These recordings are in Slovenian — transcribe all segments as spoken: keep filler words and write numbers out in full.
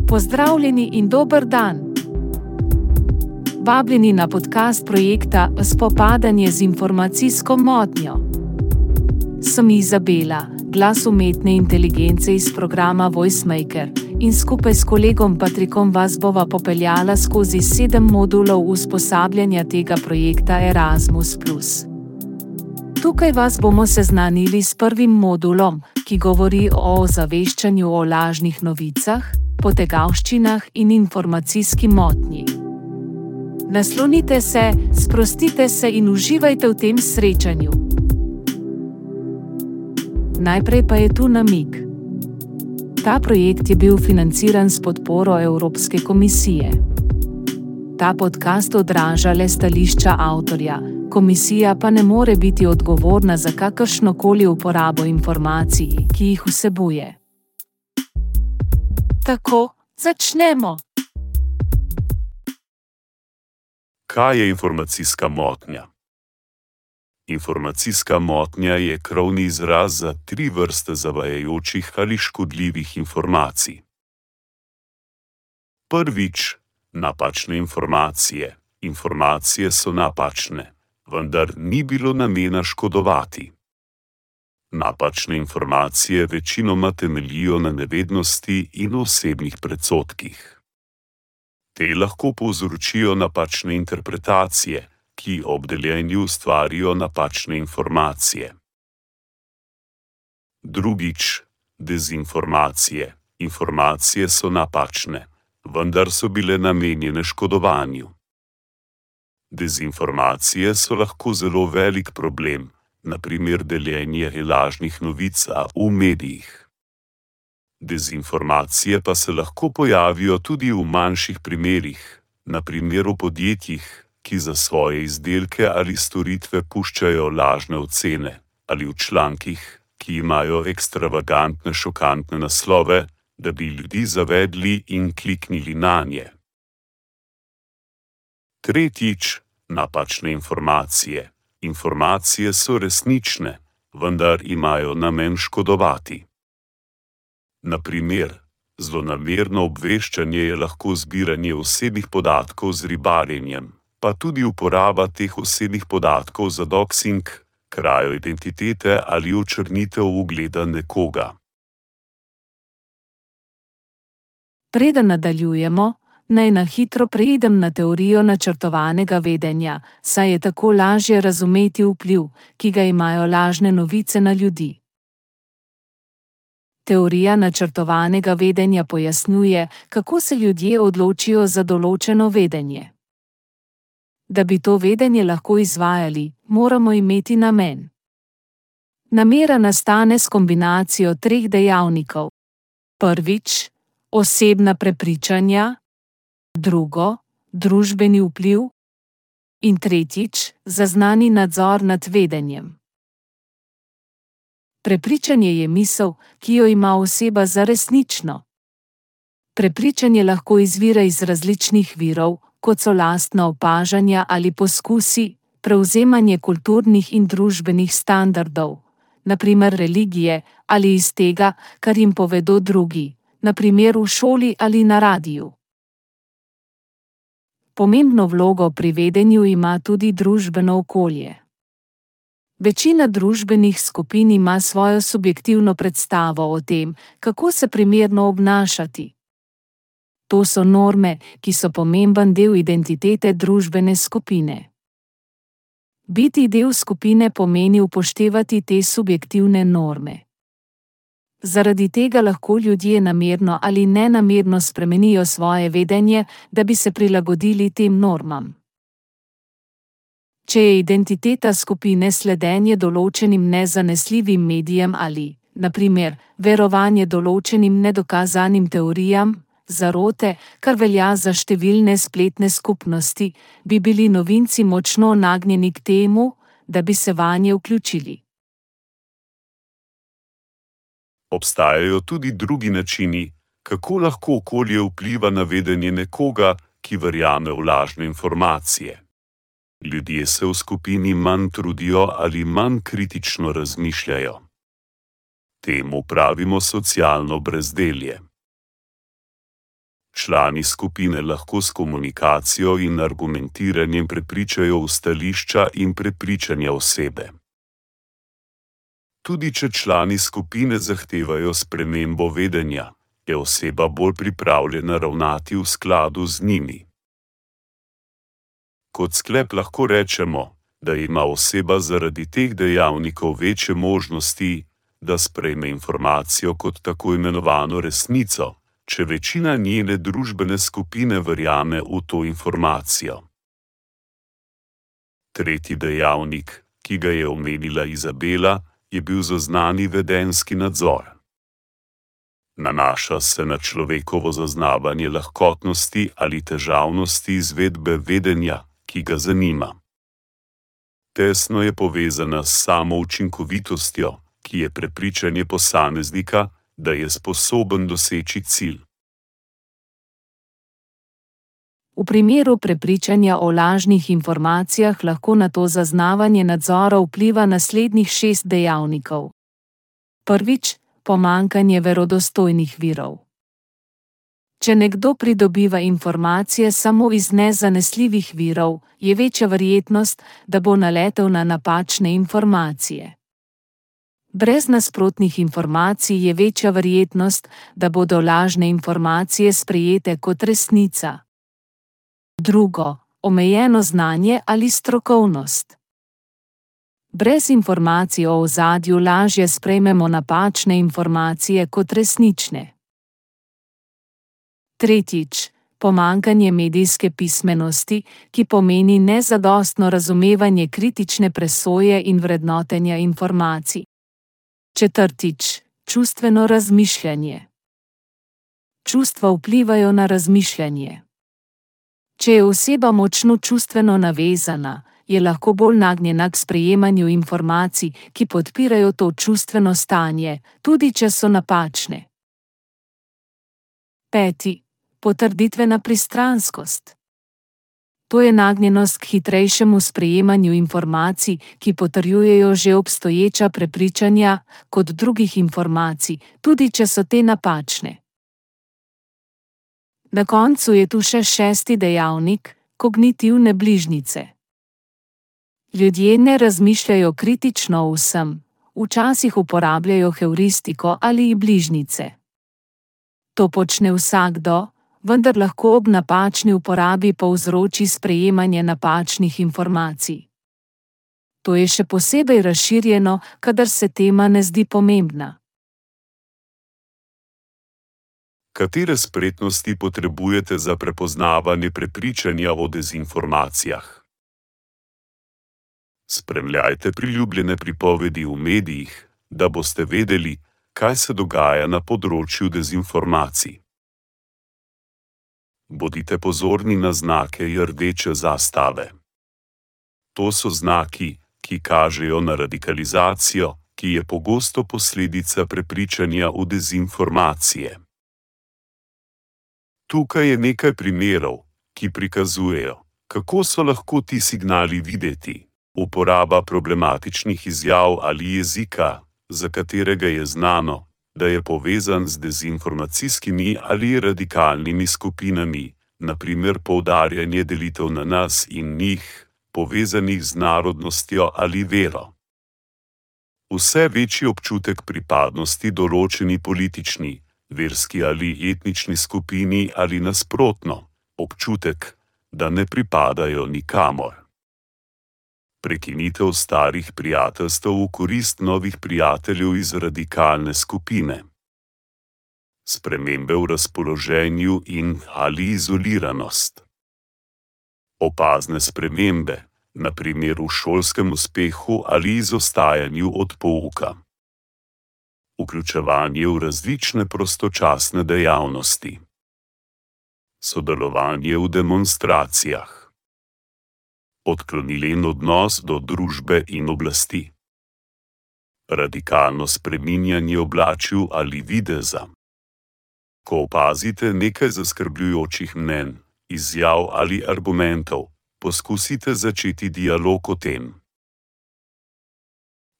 Pozdravljeni in dober dan. Vabljeni na podcast projekta Spopadanje z informacijsko motnjo. Sem Izabela, glas umetne inteligence iz programa VoiceMaker, in skupaj s kolegom Patrikom vas bova popeljala skozi sedem modulov usposabljanja tega projekta Erasmus plus. Tukaj vas bomo seznanili s prvim modulom, ki govori o ozaveščanju o lažnih novicah, potegavščinah in informacijski motnji. Naslonite se, sprostite se in uživajte v tem srečanju. Najprej pa je tu namig. Ta projekt je bil financiran s podporo Evropske komisije. Ta podcast odraža le stališča avtorja, komisija pa ne more biti odgovorna za kakršnokoli uporabo informacij, ki jih vsebuje. Tako, začnemo! Kaj je informacijska motnja? Informacijska motnja je krovni izraz za tri vrste zavajajočih ali škodljivih informacij. Prvič, napačne informacije. Informacije so napačne, vendar ni bilo namena škodovati. Napačne informacije večinoma temeljijo na nevednosti in osebnih predsodkih. Te lahko povzročijo napačne interpretacije, ki ob deljenju ustvarijo napačne informacije. Drugič, dezinformacije. Informacije so napačne, vendar so bile namenjene škodovanju. Dezinformacije so lahko zelo velik problem, na primer deljenje lažnih novic v medijih. Dezinformacije pa se lahko pojavijo tudi v manjših primerih, na primer v podjetjih, ki za svoje izdelke ali storitve puščajo lažne ocene, ali v člankih, ki imajo ekstravagantne šokantne naslove, da bi ljudi zavedli in kliknili nanje. Tretjič, napačne informacije. Informacije so resnične, vendar imajo namen škodovati. Na primer, zlonamerno obveščanje je lahko zbiranje osebnih podatkov z ribarjenjem, pa tudi uporaba teh osebnih podatkov za doxing, krajo identitete ali očrnitev ugleda nekoga. Preden nadaljujemo, naj na hitro preidem na teorijo načrtovanega vedenja, saj je tako lažje razumeti vpliv, ki ga imajo lažne novice na ljudi. Teorija načrtovanega vedenja pojasnjuje, kako se ljudje odločijo za določeno vedenje. Da bi to vedenje lahko izvajali, moramo imeti namen. Namera nastane s kombinacijo treh dejavnikov. Prvič, osebna prepričanja, drugo, družbeni vpliv in tretjič, zaznani nadzor nad vedenjem. Prepričanje je misel, ki jo ima oseba za resnično. Prepričanje lahko izvira iz različnih virov, kot so lastna opažanja ali poskusi, prevzemanje kulturnih in družbenih standardov, na primer religije, ali iz tega, kar jim povedo drugi, na primer v šoli ali na radiju. Pomembno vlogo pri vedenju ima tudi družbeno okolje. Večina družbenih skupin ima svojo subjektivno predstavo o tem, kako se primerno obnašati. To so norme, ki so pomemben del identitete družbene skupine. Biti del skupine pomeni upoštevati te subjektivne norme. Zaradi tega lahko ljudje namerno ali nenamerno spremenijo svoje vedenje, da bi se prilagodili tem normam. Če je identiteta skupine sledenje določenim nezanesljivim medijem ali, na primer, verovanje določenim nedokazanim teorijam, zarote, kar velja za številne spletne skupnosti, bi bili novinci močno nagnjeni k temu, da bi se vanje vključili. Obstajajo tudi drugi načini, kako lahko okolje vpliva na vedenje nekoga, ki verjame v lažne informacije. Ljudje se v skupini manj trudijo ali manj kritično razmišljajo. Temu pravimo socialno brezdelje. Člani skupine lahko s komunikacijo in argumentiranjem prepričajo v stališča in prepričanja osebe. Tudi če člani skupine zahtevajo spremembo vedenja, je oseba bolj pripravljena ravnati v skladu z njimi. Kot sklep lahko rečemo, da ima oseba zaradi teh dejavnikov večje možnosti, da sprejme informacijo kot tako imenovano resnico, če večina njene družbene skupine verjame v to informacijo. Tretji dejavnik, ki ga je omenila Izabela, je bil zaznani vedenjski nadzor. Nanaša se na človekovo zaznavanje lahkotnosti ali težavnosti izvedbe vedenja, ki ga zanima. Tesno je povezana s samo učinkovitostjo, ki je prepričanje posameznika, da je sposoben doseči cilj. V primeru prepričanja o lažnih informacijah lahko na to zaznavanje nadzora vpliva naslednjih šest dejavnikov. Prvič, pomanjkanje verodostojnih virov. Če nekdo pridobiva informacije samo iz nezanesljivih virov, je večja verjetnost, da bo naletel na napačne informacije. Brez nasprotnih informacij je večja verjetnost, da bodo lažne informacije sprejete kot resnica. Drugo, omejeno znanje ali strokovnost. Brez informacij o ozadju lažje sprejmemo napačne informacije kot resnične. Tretjič, pomanjkanje medijske pismenosti, ki pomeni nezadostno razumevanje kritične presoje in vrednotenja informacij. Četrtič, čustveno razmišljanje. Čustva vplivajo na razmišljanje. Če je oseba močno čustveno navezana, je lahko bolj nagnjena k sprejemanju informacij, ki podpirajo to čustveno stanje, tudi če so napačne. Peti, potrditvena pristranskost. To je nagnjenost k hitrejšemu sprejemanju informacij, ki potrjujejo že obstoječa prepričanja, kot drugih informacij, tudi če so te napačne. Na koncu je tu še šesti dejavnik, kognitivne bližnjice. Ljudje ne razmišljajo kritično o vsem, včasih uporabljajo heuristiko ali bližnjice. To počne vsakdo, vendar lahko ob napačni uporabi povzroči sprejemanje napačnih informacij. To je še posebej razširjeno, kadar se tema ne zdi pomembna. Katere spretnosti potrebujete za prepoznavanje prepričanja o dezinformacijah? Spremljajte priljubljene pripovedi v medijih, da boste vedeli, kaj se dogaja na področju dezinformacij. Bodite pozorni na znake rdeče zastave. To so znaki, ki kažejo na radikalizacijo, ki je pogosto posledica prepričanja v dezinformacije. Tukaj je nekaj primerov, ki prikazujejo, kako so lahko ti signali videti. Uporaba problematičnih izjav ali jezika, za katerega je znano, da je povezan z dezinformacijskimi ali radikalnimi skupinami, na primer poudarjanje delitev na nas in njih, povezanih z narodnostjo ali vero. Vse večji občutek pripadnosti določeni politični, verski ali etnični skupini ali nasprotno, občutek, da ne pripadajo nikamor. Prekinitev starih prijateljstev v korist novih prijateljev iz radikalne skupine. Spremembe v razpoloženju in ali izoliranost. Opazne spremembe, na primer v šolskem uspehu ali izostajanju od pouka. Vključevanje v različne prostočasne dejavnosti. Sodelovanje v demonstracijah. Odklonilen odnos do družbe in oblasti. Radikalno spreminjanje oblačil ali videza. Ko opazite nekaj zaskrbljujočih mnenj, izjav ali argumentov, poskusite začeti dialog o tem.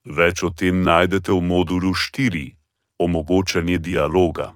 Več o tem najdete v modulu štiri, omogočanje dialoga.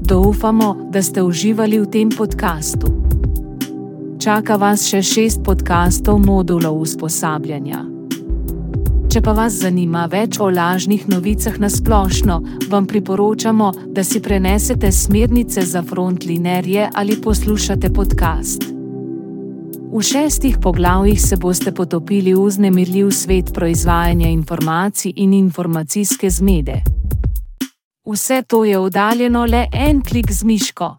Trdno upamo, da ste uživali v tem podkastu. Čaka vas še šest podkastov modulov usposabljanja. Če pa vas zanima več o lažnih novicah na splošno, vam priporočamo, da si prenesete smernice za frontlinerje ali poslušate podcast. V šestih poglavjih se boste potopili v vznemirljiv svet proizvajanja informacij in informacijske zmede. Vse to je oddaljeno le en klik z miško.